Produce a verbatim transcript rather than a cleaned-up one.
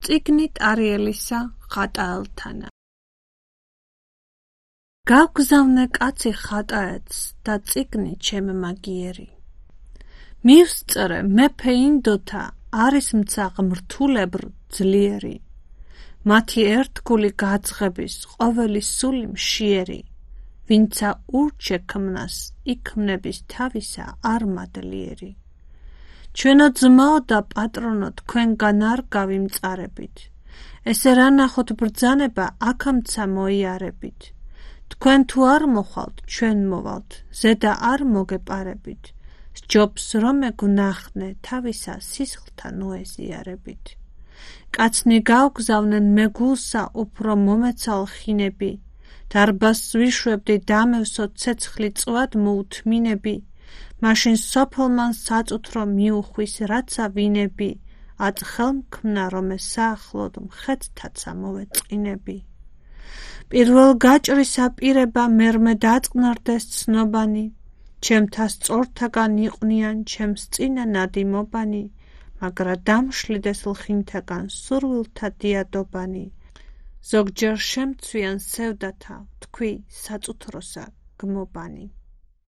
წიგნით არიელისა ხატაელთანა. გავგზავნე კაცი ხატაეთს და წიგნი ჩემ მაგიერი. მივსწრე მეფე ინდოთა არის მცა ღმრთულებრ ძლიერი. მათი ერთგული გაძღების ყოველი სული მშიერი. ვინცა ურჩექმნას იქმნების თავისა არ მადლიერი. ჩვენო ძმაო და პატრონო თქვენგან არ გავიმწარებით. ესე რა ნახოთ ბრძანება აქამცა მოიარებით. თქვენ თუ არ მოხვალთ ჩვენ მოვალთ ზედა არ მოგეპარებით. სჯობს რომ ეგვნახნე თავისა სისხლთა ნოეზიარებით. კაცნი გავგზავნენ მეგულსა უფრო მომეცალ ხინები. დარბაზს ვიშვებდი დამევსო ცეცხლი წვად მოუთმინები. მაშინ სოფელმან საწუთრო მიუხვის რაცა ვინები. აწ ხელმქმნა რომ საახლოდ მხედთაცა მოვეწყინები. პირველ გაჭრისა პირება მერმე დაწყნარდეს ცნობანი. ჩემთა სწორთაგან იყვნიან ჩემს წინა ნადიმობანი. მაგრა დამშლიდეს ლხინთაგან სურვილთა დიადობანი. ზოგჯერ შემცვიან სევდათა თქვი საწუთროსა გმობანი.